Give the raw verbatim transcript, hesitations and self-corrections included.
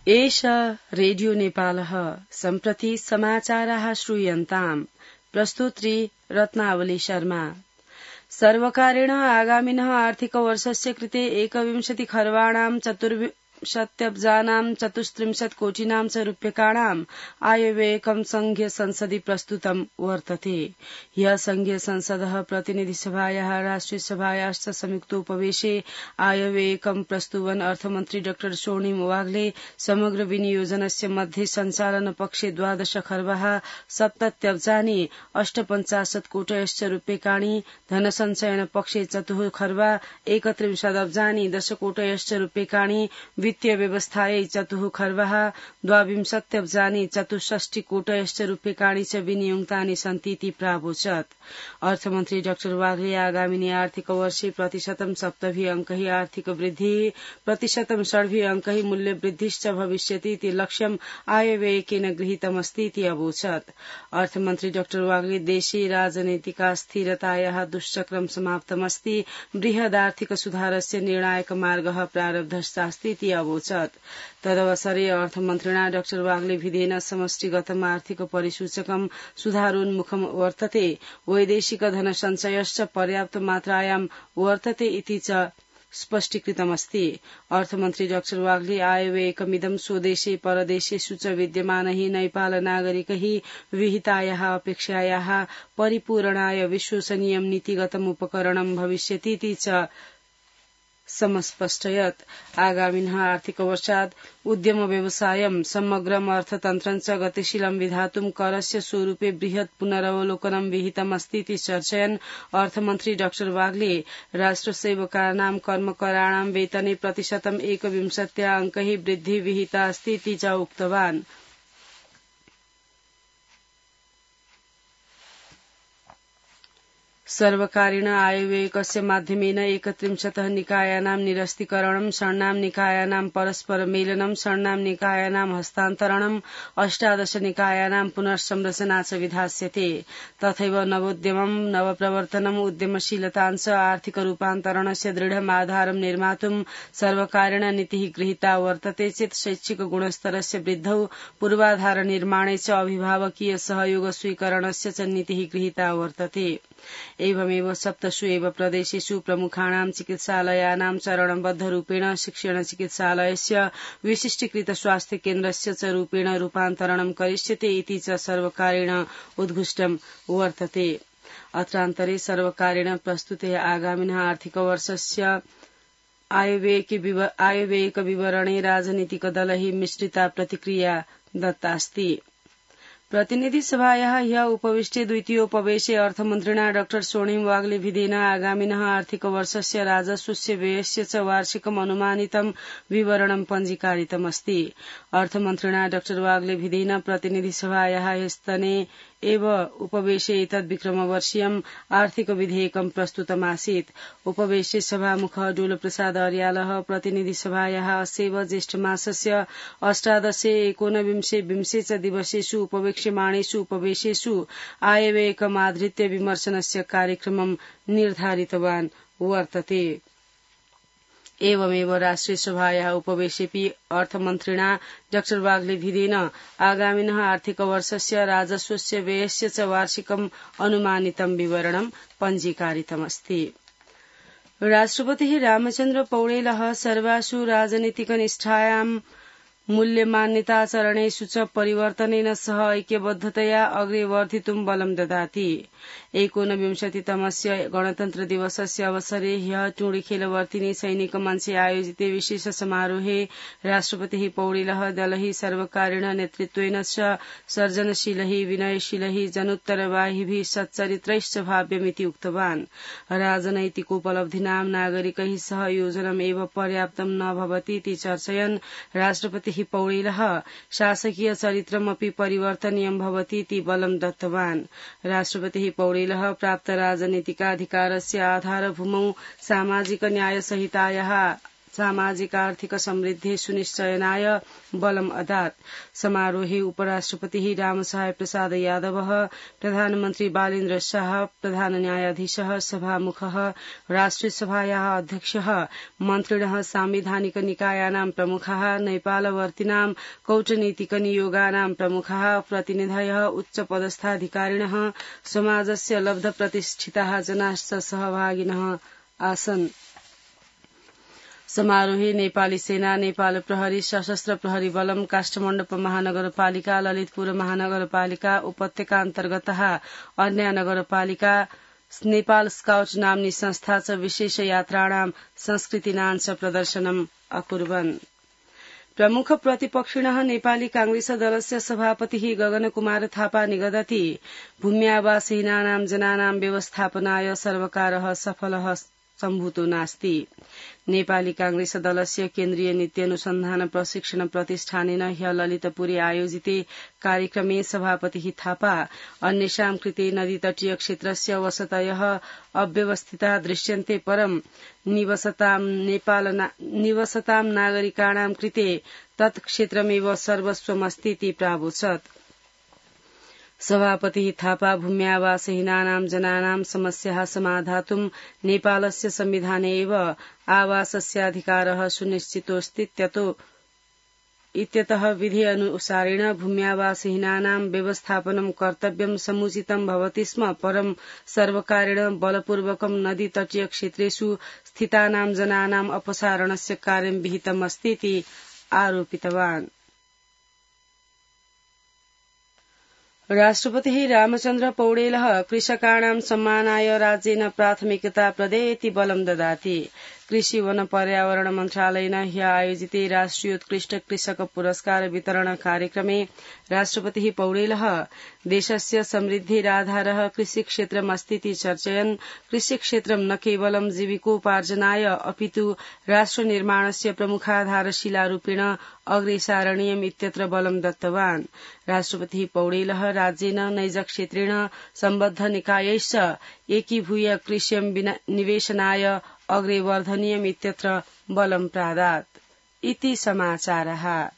एष रेडियो नेपालः सम्प्रति समाचाराः श्रूयन्ताम्। प्रस्तुत्री रत्नावली शर्मा। सर्वकारेण आगामिनः आर्थिकवर्षस्य कृते एकविंशति खर्वाणां चतुर्विंशत्यब्जानां चतुस्त्रिंशत् कोटिनां च रूप्यकाणाम् आयव्ययकं संघीय संसदि प्रस्तुतं वर्तते। ह्यः संघीय संसदः प्रतिनिधिसभायाः राष्ट्रिय सभायाश्च संयुक्तोपवेशे आयव्ययकं प्रस्तुवन् अर्थमन्त्री डाक्टर स्वर्णिम वाग्ले समग्र विनियोजनस्य मध्ये सञ्चालन पक्षे द्वादश खर्वः सप्तत्यब्जानि अष्टपञ्चाशत् कोटयश्च रूप्यकाणि धनसञ्चयन पक्षे चतुः खर्वा एकत्रिंशदब्जानि दशकोटयश्च रूप्यकाणि वित्तीय व्यवस्थायै चतुः खर्वः द्वाविंशत्यब्जानि चतुष्षष्टि कोटयश्च रूप्यकाणि च विनियुक्तानि सन्तीति प्रावोचत्। अर्थमन्त्री डाक्टर वाग्ले आगामिनि आर्थिक वर्षे प्रतिशतं सप्तभिः अंकैः आर्थिक वृद्धिः प्रतिशतं षड्भिः अंकैः मूल्यवृद्धिश्च भविष्यतीति लक्ष्यम् आयव्ययकेन गृहीतमस्तीति अवोचत्। अर्थमन्त्री डाक्टर वाग्ले देशे राजनैतिक स्थिरतायाः दुश्चक्रं समाप्तमस्ति, बृहदार्थिक सुधारस्य निर्णायक मार्गः प्रारब्धश्चास्तीति अवोचत्। तदवसरे अर्थमन्त्रिणा डाक्टर वाग्ले विधेन समष्टिगतम् आर्थिक परिसूचकं सुधारोन्मुखं वर्तते, वैदेशिक धनसञ्चयश्च पर्याप्त मात्रायां वर्तते इति च स्पष्टीकृतमस्ति। अर्थमन्त्री डाक्टर वाग्ले आयव्ययकमिदं स्वदेशे परदेशेषु च विद्यमानैः नेपाल नागरिकैः विहितायाः अपेक्षायाः परिपूरणाय विश्वसनीयं नीतिगतम् उपकरणं भविष्यतीति च समस्पष्टयत्। आगामिनः आर्थिक वर्षात् उद्यम व्यवसायं समग्रम् अर्थतन्त्रं च गतिशीलं विधातुं करस्य स्वरूपे बृहत् पुनरवलोकनं विहितमस्तीति चर्चयन् अर्थमन्त्री डाक्टर वाग्ले राष्ट्रसेवकानां कर्मकराणां वेतने प्रतिशतं एकविंशत्या अंकैः वृद्धिः विहिता अस्तीति च उक्तवान्। सर्वकारेण आयव्ययकस्य माध्यमेन एकत्रिंशतः निकायानां निरस्तीकरणं, षण्णां निकायानां परस्पर मेलनं, षण्णां निकायानां हस्तान्तरणं, अष्टादश निकायानां पुनर्संरचना च विधास्यते। तथैव नवोद्यमं, नवप्रवर्तनम्, उद्यमशीलताञ्च आर्थिक रूपान्तरणस्य दृढम् आधारं निर्मातुं सर्वकारेण नीतिः गृहीता वर्तते चेत् शैक्षिक गुणस्तरस्य वृद्धौ पूर्वाधार निर्माणे च अभिभावकीय सहयोग स्वीकरणस्य च नीतिः गृहीता वर्तते। एवमेव सप्तसु एव प्रदेशेषु प्रमुखाणां चिकित्सालयानां चरणबद्धरूपेण शिक्षण चिकित्सालयस्य विशिष्टीकृत स्वास्थ्य केन्द्रस्य च रूपेण रूपान्तरणं करिष्यते इति च सर्वकारेण उद्घुष्टं वर्तते। अत्रान्तरे सर्वकारेण प्रस्तुते आगामिनः आर्थिकवर्षस्य आयव्ययक विवरणे राजनीतिकदलैः मिश्रिता प्रतिक्रिया दत्तास्ति। प्रतिनिधिसभायाः ह्यः उपविष्टे द्वितीयोपवेशे अर्थमन्त्रिणा डाक्टर स्वर्णिम वाग्ले विधेन आगामिनः आर्थिकवर्षस्य राजस्वस्य व्ययस्य च वार्षिकम् अनुमानितं विवरणं पञ्जीकारितमस्ति। अर्थमन्त्रिणा डाक्टर वाग्ले विधेन प्रतिनिधिसभायाः स्तने एव उपवेशे एतद्विक्रमवर्षीयम् आर्थिक विधेयकं प्रस्तुतमासीत्। उपवेशे सभामुखः डोलप्रसाद अर्यालः प्रतिनिधिसभायाः अस्यैव ज्येष्ठमासस्य अष्टादशे एकोनविंशे विंशे च दिवसेषु उपवेक्ष्यमाणेषु उपवेशेषु आयव्ययकमाधृत्य विमर्शनस्य कार्यक्रमं निर्धारितवान् वर्तते। एवमेव राष्ट्रिय सभायाः उपवेशेऽपि अर्थमन्त्रिणा डाक्टर वाग्ले विधेन आगामिनः आर्थिकवर्षस्य राजस्वस्य व्ययस्य च वार्षिकम् अनुमानितं विवरणं पञ्जीकारितमस्ति। राष्ट्रपतिः रामचन्द्र पौडेलः सर्वासु राजनीतिकनिष्ठायां मूल्यमान्यताचरणेषु च परिवर्तनेन सह ऐक्यबद्धतया अग्रे वर्धितुं बलं ददाति। एकोनविंशतितमस्य गणतन्त्र दिवसस्य अवसरे ह्यः टुंडिखेलवर्तिनि सैनिक मञ्चे आयोजिते विशेष समारोहे राष्ट्रपतिः पौडेलः दलैः सर्वकारेण नेतृत्वेन च सर्जनशीलैः विनयशीलैः जनोत्तरवाहिभिः सच्चरित्रैश्च भाव्यमिति उक्तवान्। राजनैतिकोपलब्धीनां नागरिकैः सह योजनम् एव पर्याप्तं न भवतीति चर्चयन् राष्ट्रपतिः पौडेलः शासकीय चरित्रमपि परिवर्तनीयं भवतीति बलं दत्तवान्। राष्ट्रपतिः पौडेलः प्राप्त राजनीतिकाधिकारस्य आधारभूमौ सामाजिक न्यायसंहितायाः सामाजिक आर्थिक समृद्धि सुनिश्चयनाय बलम् अदात्। समारोहे उपराष्ट्रपतिः रामसहाय प्रसाद यादवः, प्रधानमन्त्री बालेन्द्र शाह, प्रधान न्यायाधीशः, सभामुखः, राष्ट्रिय सभायाः अध्यक्षः, मन्त्रिणः, सांविधानिक निकायानां प्रमुखाः, नेपालवर्तीनां कूटनीतिक नियोगानां प्रमुखाः, प्रतिनिधयः, उच्चपदस्थाधिकारिणः, समाजस्य लब्धप्रतिष्ठिताः जनाश्च सहभागिनः आसन्। समारोहे नेपाली सेना, नेपाल प्रहरी, सशस्त्र प्रहरी बलम, काष्ठमण्डप महानगरपालिका, ललितपुर महानगरपालिका, उपत्यका अन्तर्गतः अन्य नगरपालिका, नेपाल स्काउट नाम्नी संस्था च विशेष यात्राणां संस्कृतिनाञ्च प्रदर्शनम् अकुर्वन्। प्रमुख प्रतिपक्षिणः नेपाली कांग्रेस दलस्य सभापतिः गगनकुमार थापा निगदति भूम्यावासहीनानां जनानां व्यवस्थापनाय सर्वकारः सफलः सम्भूतो नास्ति। नेपाली कांग्रेस दलस्य केन्द्रीय नीति अनुसन्धान प्रशिक्षण प्रतिष्ठानेन ह्य ललितपुरे आयोजिते कार्यक्रमे सभापतिः थापा अन्येषां कृते नदीतटीय क्षेत्रस्य वसतयः अव्यवस्थिता दृश्यन्ते परं निवसतां नेपाल निवसतां नागरिकाणां कृते तत् क्षेत्रमेव सर्वस्वमस्तीति प्रावोचत्। सभापतिः थापा भूम्यावासहीनानां जनानां समस्याः समाधातुं नेपालस्य संविधाने एव आवासस्याधिकारः सुनिश्चितोऽस्तीत्यतो इत्यतः विधि अनुसारेण भूम्यावासहीनानां व्यवस्थापनं कर्तव्यं समुचितं भवति स्म, परं सर्वकारेण बलपूर्वकं नदीतटीय क्षेत्रेषु स्थितानां जनानाम् अपसारणस्य कार्यं विहितम् अस्तीति आरोपितवान्। राष्ट्रपतिः रामचन्द्र पौडेलः कृषकाणां सम्मानाय राज्येन प्राथमिकता प्रदेयेति बलं ददाति। कृषि वन पर्यावरण मन्त्रालयेन ह्य आयोजिते राष्ट्रियोत्कृष्ट कृषक पुरस्कार वितरण कार्यक्रमे राष्ट्रपतिः पौडेलः देशस्य समृद्धिराधारः कृषिक्षेत्रमस्तीति चर्चयन् कृषिक्षेत्रं न केवलं जीविकोपार्जनाय अपितु राष्ट्रनिर्माणस्य प्रमुखाधारशिलारूपेण अग्रेसारणीयम् इत्यत्र बलं दत्तवान्। राष्ट्रपतिः पौडेलः राज्येन नैजक्षेत्रेण सम्बद्ध निकायैश्च एकीभूय कृष्यं निवेशनाय अग्रे वर्धनीयम् इत्यत्र बलं प्रादात्। इति समाचारः।